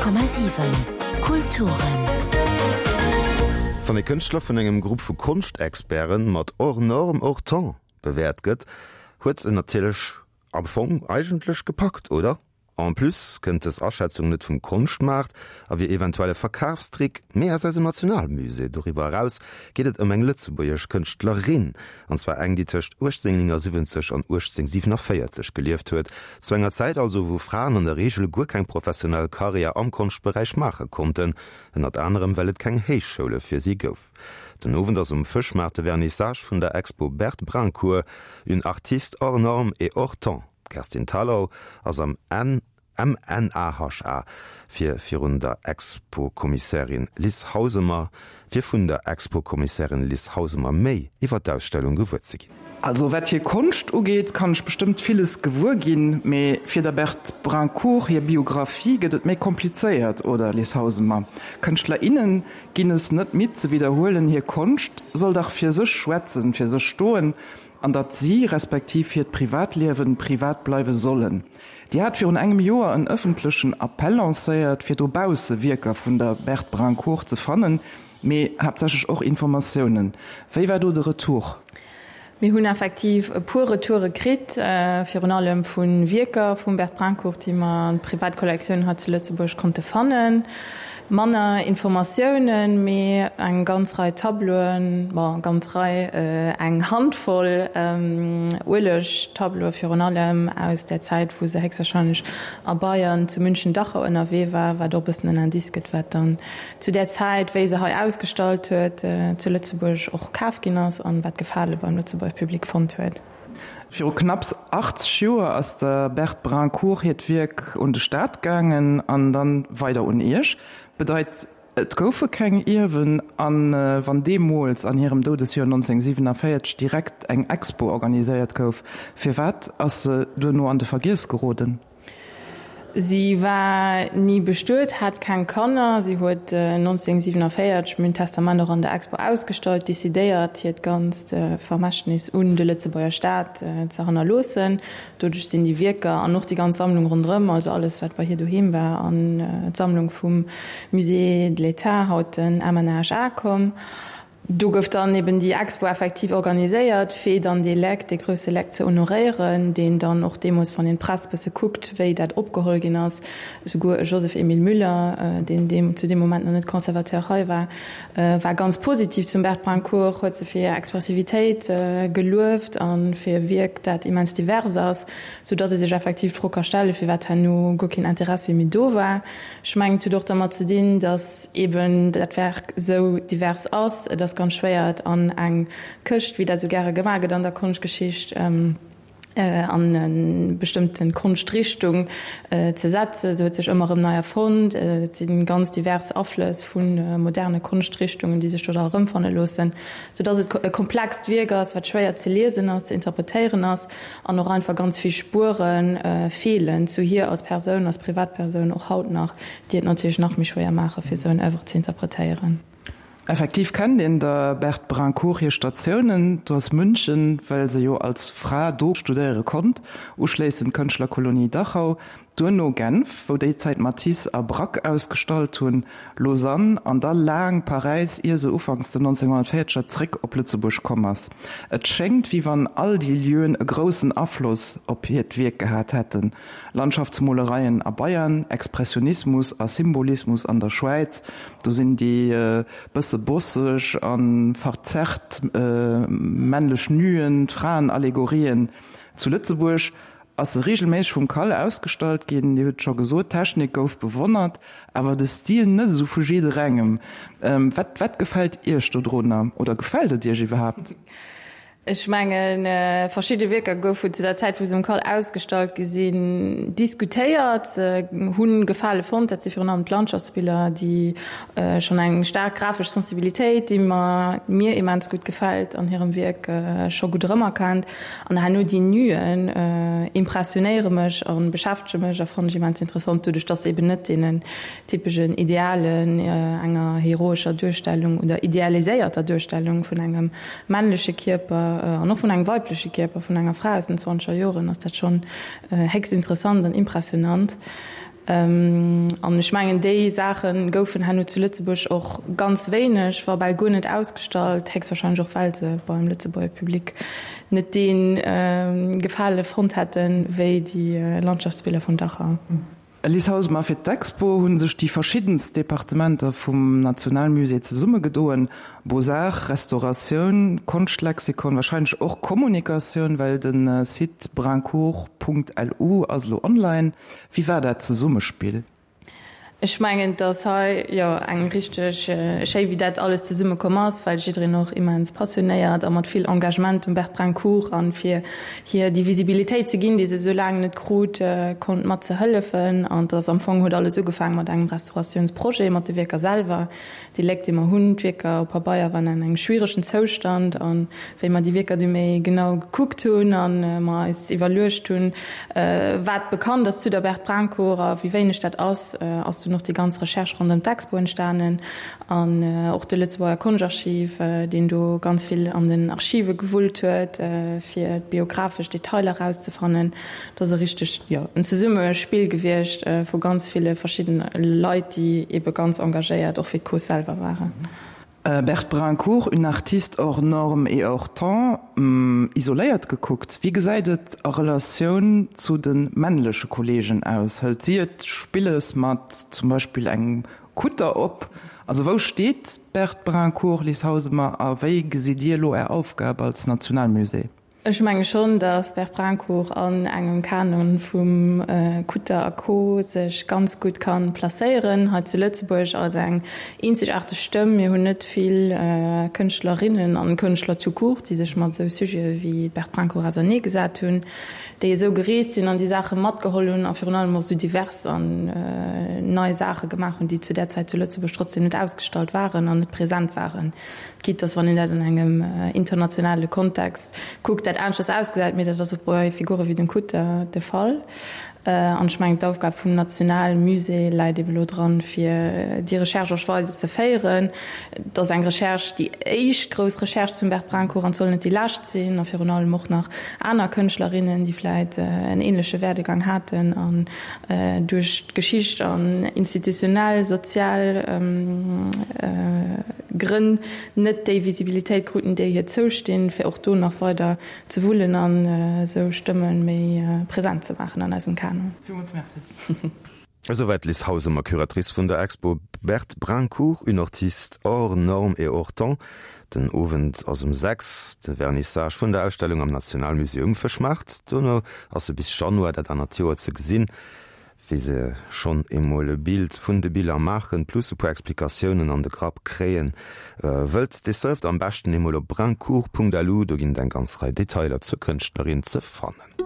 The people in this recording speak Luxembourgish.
100,7 Kulturen. Wann e Kënschtler vun engem Grupp vu Konschtexperten mat hors norme, hors temps bewäert gëtt, huet en natierlech am Fong eigentlech gepackt, oder? En plus kënnt dës Aschätzung net vum Konschtmaart a wier eventuell e Verkafstrick, mee aus eisem Nationalmusée. Doriwwer eraus geet et ëm eng lëtzebuergesch Kënschtlerin, an zwar eng, déi tëscht 1879 an 1847 gelieft huet, zu enger Zäit also, wou Fraen an der Reegel guer keng professionell Karriär am Konschtberäich maache konnten, ënnert anerem well et keng Héichschoule fir si gouf. Den Owend ass um Fëschmaart de Vernissage vun der Expo Berthe Brincourt, une artiste hors norme et hors temps. D'Kerstin Thalau ass am MNAHA fir virun der Expo-Kommissärin Lis Hausemer fir vun der Expo-Kommissärin Lis Hausemer méi iwwer d'Ausstellung gewuer ze ginn. Also wat hir Konscht ugeet, kann ech bestëmmt villes gewuer ginn, mee fir der Berthe Brincourt hir Biographie gëtt et méi komplizéiert, oder Lis Hausemer? Kënschtler, innen ginn es net midd ze widderhuelen, hir Konscht soll dach fir sech schwätzen, fir sech stoen, An datt si, respektiv hiert Privatliewen, privat bleiwe sollen. Dir hat virun engem Joer en ëffentlechen Appell lancéiert, fir dobausse Wierker vun der Berthe Brincourt ze fannen, mee haaptsächlech och Informatiounen. Wéi war do de Retour? Mir hunn effektiv e puer Retoure kritt, virun allem vu Wierker vum Berthe Brincourt, déi mer an Privatkollektioun hei zu Lëtzebuerg konnte fannen. Manner Informatiounen, mee eng ganz Rei Tableauen, bon, ganz Rei, eng Handvoll Uelegtableaue virun allem aus där Zäit, wou se héchstwahrscheinlech a Bayern zu München-Dachau ënnerwee war, wat och e bëssen en Indice gëtt, wat dann zu där Zäit, wéi se hei ausgestallt huet, zu Lëtzebuerg och kaf ginn ass an wat Gefale beim Lëtzebuerger Public fonnt huet. Viru knapps 80 Joer ass der Berthe Brincourt hiert Wierk un de Staat gaangen an dann weider un Iech. Bedeit, et goufe keng Ierwen. A wann deemools an hirem Doudesjoer 1947 direkt eng Expo organiséiert gouf, firwat ass se duerno an de Vergiess geroden? Si war ni bestuet, hat keng Kanner. Si huet 1947, mir hunn d'Testament och an der Expo ausgestallt, decidéiert, hiert ganzt Vermächtnis un de Lëtzebuerger Staat ze hannerloossen. Doduerch sinn déi Wierker an och déi ganz Sammlung ronderëm, also alles wat bei hir doheem war, an d'Sammlung vum Musée de l'État, haut den MNHA, komm. Do gouf dann eben déi Expo effektiv organiséiert, fir dann dee Leck, dee grousse Leck ze honoréieren, deen dann och deemools, wann een d'Press bësse kuckt, wéi dat opgeholl ginn ass, esouguer e Joseph-Émile Müller, deen deem zu deem Moment nach net Conservateur hei war, war ganz positiv zum Berthe Brincourt, huet se fir hir Expressivitéit gelueft a fir e Wierk, dat immens divers ass, soudatt ee sech effektiv d'Fro ka stellen, firwat herno guer keen Interessi méi do war. Ech mengen, et huet och dermat ze dinn, datt eben dat Werk esou divers ass. Et ass ganz schwéier, et an eng Këscht, wéi dat esou gäre gemaach gëtt an der Konschtgeschicht, an e bestëmmte Konschtrichtung ze setzen. Se huet sech ëmmer erëm nei erfonnt. Et si ganz divers Aflëss vu moderne Konschtrichtungen, déi sech do dra erëmfanne loossen, soudatt et e komplext Wierk ass, wat schwéier ze liesen ass, ze interpretéieren ass. An och einfach ganz vill Spuere feelen zu hir als Persoun, als Privatpersoun, och haut nach, déi et natierlech nach méi schwéier maache fir esou en Oeuvre ze interpretéieren. Effektiv kennt een der Berthe Brincourt hir Statiounen, do ass München, well se jo als Fra do studéiere konnt, uschléissend d'Kënschtlerkolonie Dachau, Duerno Genf, wou déi Zäit Matisse a Braque ausgestallt hunn, Lausanne an da laang Paräis, ier se ufanks den 1940er zréck op Lëtzebuerg komm ass. Et schéngt, wéi wann all déi Lieuen e groussen Afloss op hiert Wierk gehat hätten, Landschaftsmolereien a Bayern, Expressionismus a Symbolismus an der Schwäiz, do sinn déi bësse bosseg a verzerrt männlech Nuen, d'Fraenallegorien zu Lëtzebuerg. Ass se reegelméisseg vum Cal ausgestallt ginn. Dir hutt et scho gesot, d'Technik gouf bewonnert, awer de Stil net esou vu jidderengem. Wat wat gefält Iech dodrunner oder gefält et Iech iwwerhaapt? Ech mengen, verschidde Wierker goufen zu der Zäit, wou se um Cal ausgestallt gi sinn, diskutéiert, se hu Gefale fonnt. Dat si virun allem d'Landschaftsbiller, déi schonn eng staark grafesch Sensibilitéit, déi mer mir immens gutt gefält, an hirem Wierk scho gutt erëmerkennt. An herno déi Nuen impressionéiere mech a beschäftege mech a fannen ech immens interessant, doduerch dass se eben net deenen typeschen Idealen enger heroescher Duerstellung oder idealiséierter Duerstellung vun engem männleche Kierper an och vun engem weibleche Kierper vun enger Fra aus den zwanzeger Joren ass dat schonn héchst interessant an impressionant. An ech mengen, déi Saache goufen herno zu Lëtzebuerg och ganz wéineg, wa bal guer net ausgestallt, héchstwahrscheinlech och well se beim Lëtzebuerger Public net dee Gefale fonnt hätten, wéi déi Landschaftsbiller vun Dachau. Liz Hausemer, Fir d'Expo hu sech déi verschiddenst Departementer vum Nationalmusée zesummegedoen, Beaux-Arts, Restauratioun, Konschtlexikon, warscheinlech och Kommunikatioun, well de Site brincourt.lu ass elo online. Wéi war dat Zesummespill? Ech mengen, et ass hei jo eng richteg schéi, wéi dat alles zesumme komm ass, well jiddereen och immens passionéiert a mat vill Engagement um Berthe Brincourt an fir hir déi Visibilitéit ze ginn, déi se esou laang net krut, konnt mat ze hëllefen. An et ass am Fong huet alles ugefaang mat engem Restauratiounsprojet mat de Wierker selwer, Déi Léck, déi mer hunn, d'Wierker op Pabeier waren an engem schwieregen Zoustand. A wéi mer déi Wierker du méi genau gekuckt hunn a mer eis iwwerluecht hunn, wat bekannt ass zu der Berthe Brincourt a wéi wéineg dat ass, ass dunn och déi ganz Recherche ronderëm d'Expo entstanen. An och de Lëtzebuerger Konschtarchiv, deen do ganz vill an den Archive gewullt huet, fir d'biographesch Detailer erauszefannen. Et ass e richtegt, jo, en Zesummespill gewiescht vu ganz ville verschiddene Leit, déi ebe ganz engagéiert och fir d'Cause selwer waren. Berthe Brincourt, une artiste hors norme et hors temps, Isoléiert gekuckt, wéi gesäit et a Relatioun zu de männleche Kolleegen aus? Hëlt si et spilles mat zum Beispill engem Kutter op? Also wou steet d'Berthe Brincourt, Liz Hausemer, a wéi gesitt Dir elo Är Aufgab als Nationalmusée? Ech menge schonn, datt Berthe Brincourt an engem Kanon vum Kutter a Co. Sech ganz gutt ka placéieren hei zu Lëtzebuerg als eng eenzegaarteg Stëmm. Mir hunn net vill Kënschtlerinnen an Kënschtler tout court, déi sech mat esou Sujete wéi d'Berthe Brincourt ausernee gesat hunn, déi esou gereest sinn an déi Saache matgeholl hunn a virun allem och esou divers an nei Saache gemaach hunn, déi zu där Zäit zu Lëtzebuerg trotzdem net ausgestallt waren an net present waren. Quitte dass wann een dat an engem internationale Kontext kuckt, dat aneschters ausgesäit, mee dat ass och bei Figure wéi dem Kutter de Fall. An ech mengen, d'Aufgab vum Nationalmusée läit ebe lo dran, fir déi Recherche och weider ze féieren. Et ass eng Recherche, déi éischt grouss Recherche zum Berthe Brincourt an et soll net déi lescht sinn, a virun allem och nach aner Kënschtlerinnen, déi vläit en ähnleche Werdegang haten an duerch d'Geschicht an institutionell, sozial Grënn net déi Visibilitéit kruten, déi hir zoustinn, fir och do nach weider ze wullen an esou Stëmme méi present ze maachen an eisem Kanon. Villmools Merci. Esouwäit d'Liz Hausemer, Curatrice vun der Expo Berthe Brincourt, une artiste hors norme et hors temps. Den Owend ass um 6 de Vernissage vun der Ausstellung am Nationalmusée um Fëschmaart. Dono ass se bis Januar dat anert Joer ze gesinn. Wie se schonn emol e Bild vun de Biller maachen, plus e puer Explikatiounen an de Grapp kréien wëllt, dee surft am beschten emol op brincourt.lu, do ginn et eng ganz Rei Detailer zur Kënschtlerin ze fannen.